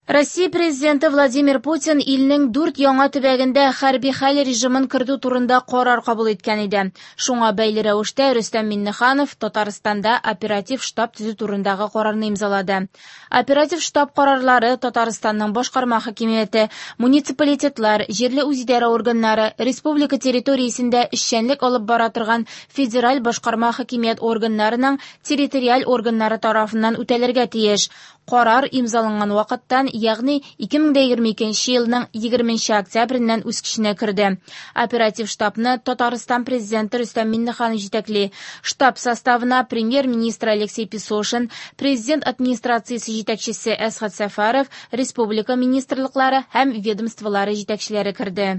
Россия Президенты Владимир Путин илнең дүрт яңа төбәгендә хәрби хәл режимын кертү турында карар кабул иткән иде. Шуңа бәйле рәвештә Рөстәм Миңнеханов Татарстанда оператив штаб төзү турындагы карарны имзалады. Оператив штаб карарлары Татарстанның башкарма хакимияте, муниципалитетлар, җирле үзидарә органнары, республика территориясендә эшчәнлек алып бара торган федераль башкарма хакимият органнарының территориаль органнары тарафыннан үтәлергә тиеш. Карар имзаланган вакыттан, ягъни 2022 елның 20 октябреннән үз көченә керде. Оператив штабны Татарстан Президенты Рөстәм Миңнеханов җитәкли. Штаб составына премьер-министр Алексей Песошин, президент администрациясе җитәкчесе Әсгать Сәфәров, республика министрлыклары һәм ведомстволары җитәкчеләре керде.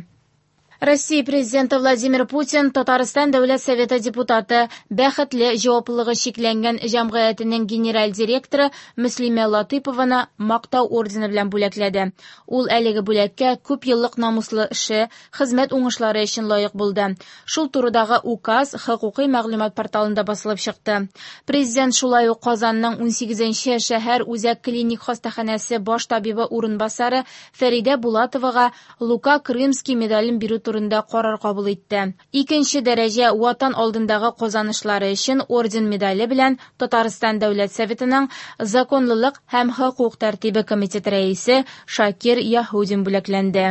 Россия Президенты Владимир Путин Татарстан Дәүләт Советы депутаты, Бәхетле җаваплылыгы чикләнгән җәмгыятенең генераль директоры Мөслимә Латыйпованы Мактау ордены белән бүләкләде. Ул әлеге бүләккә күп еллык намуслы эше, хезмәт уңышлары өчен лаек булды. Шул турыдагы указ хокукый мәгълүмат порталында басылып чыкты. Президент шулай ук Казанның 18 шәһәр үзәк клиник хастаханәсе баш табибы урынбасары Фәридә Булатовага Лука Крымский медален бирү турында карар кабул итте. Икенче дәрәҗә Ватан алдындагы казанышлары өчен орден медале белән Татарстан Дәүләт Советының Законлылык һәм хокук тәртибе комитеты рәисе Шакир Яһудин бүләкләнде.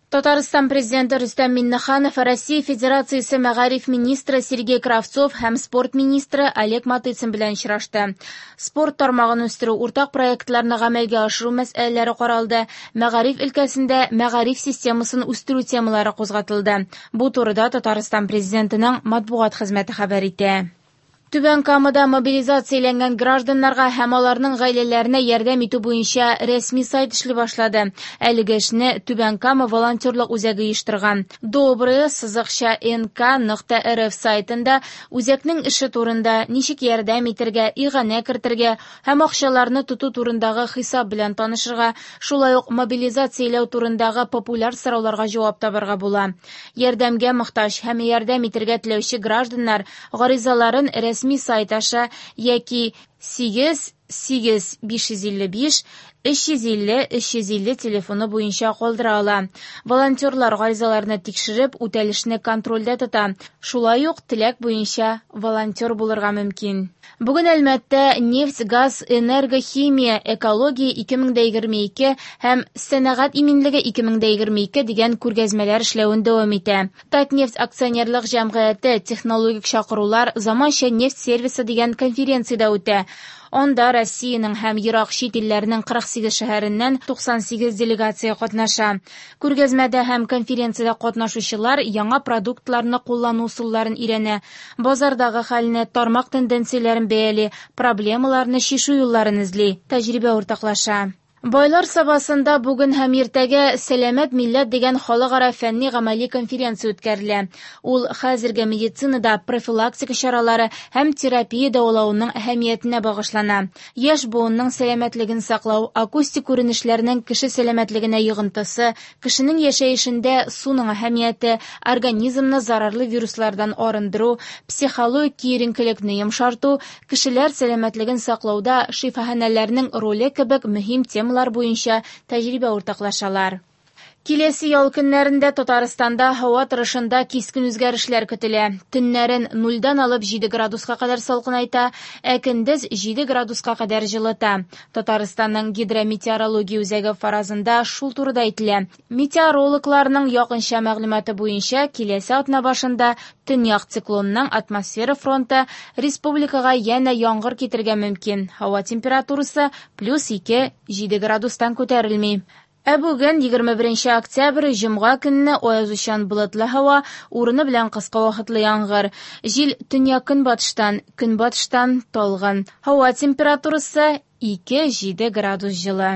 Татарстан Президенты Рөстәм Миңнеханов Россия Федерациясе мәгариф министры Сергей Кравцов һәм спорт министры Олег Матыцин белән очрашты. Спорт тармагын үстерү, уртак проектларны гамәлгә ашыру мәсьәләләре каралды, мәгариф өлкәсендә мәгариф системасын үстерү темалары кузгатылды. Бу турыда Татарстан Президентының матбугат хезмәте хәбәр итә. Түбән Камада мобилизацияләнгән гражданнарга һәм аларның гаиләләренә ярдәм итү буенча рәсми сайт эшли башлады. Әлеге эшне Түбән Кама волонтерлык үзәге оештырган. Доброе сызыкча нк нокта рф сайтында үзәкнең эше турында, ничек ярдәм итәргә, иганә кертергә һәм акчаларны тоту турындагы хисап белән танышырга, шулай ук мобилизацияләү турындагы популяр сорауларга җавап табарга була. Ярдәмгә мохтаҗ һәм ярдәм итәргә теләүче гражданнар гаризаларын рәсми сайт аша яки 8 8 555 350 350 телефоны буенча калдыра ала. Волонтерлар гаризаларны тикшереп, үтәлешне контрольдә тота. Шулай ук теләк буенча волонтер булырга мөмкин. Бүген Әлмәттә нефть, газ, энергохимия, экология 2022 һәм сәнәгать иминлеге 2022 дигән күргәзмәләр эшләвен дәвам итә. Татнефть акционерлык җәмгыяте технологик чакырулар заманча нефть сервисы дигән конференциядә үтә. Анда Россиянең һәм ерак чит илләрнең 48 шәһәреннән 98 делегация катнаша. Күргәзмәдә һәм конференциядә катнашучылар яңа продуктларны куллану ысулларын өйрәнә, базардагы хәлне, тармак тенденцияләрен бәяли, проблемаларны чишү юлларын эзли, тәҗрибә уртаклаша. Байлар Сабасында бүген һәм иртәгә Сәламәт милләт дигән халыкара фәнни-гамәли конференция үткәрелә. Ул хәзерге медицинада профилактика чаралары һәм терапия дәвалавының әһәмиятенә багышлана. Яшь буынның сәламәтлеген саклау, акустик күренешләрнең кеше сәламәтлегенә йогынтысы, кешенең яшәешендә суның әһәмияте, организмны зарарлы вируслардан арындыру, психологик киеренкелекне йомшарту, кешеләр сәламәтлеген саклауда шифаханәләрнең роле кебек мөһим темалар буенча тәҗрибә уртаклашалар. Киләсе ял көннәрендә Татарстанда һава торышында кискен үзгәрешләр көтелә. Төннәрен нульдан алып 7 градуска кадәр салкынайта, ә көндез 7 градуска кадәр җылыта. Татарстанның гидрометеорология үзәге фаразында шул турыда әйтелә. Метеорологларның якынча мәгълүматы буенча, киләсе атна башында төньяк циклонның атмосфера фронты республикага янә яңгыр китерергә мөмкин. Һава температурасы плюс 2, 7 градустан күтәрелми. Ә бүген 21 октябрь, җомга көнне аязучан болытлы һава, урыны белән кыска вакытлы яңгыр. Җил төньяк-көнбатыштан, көнбатыштан талгын. Һава температурасы 2-7 градус җылы.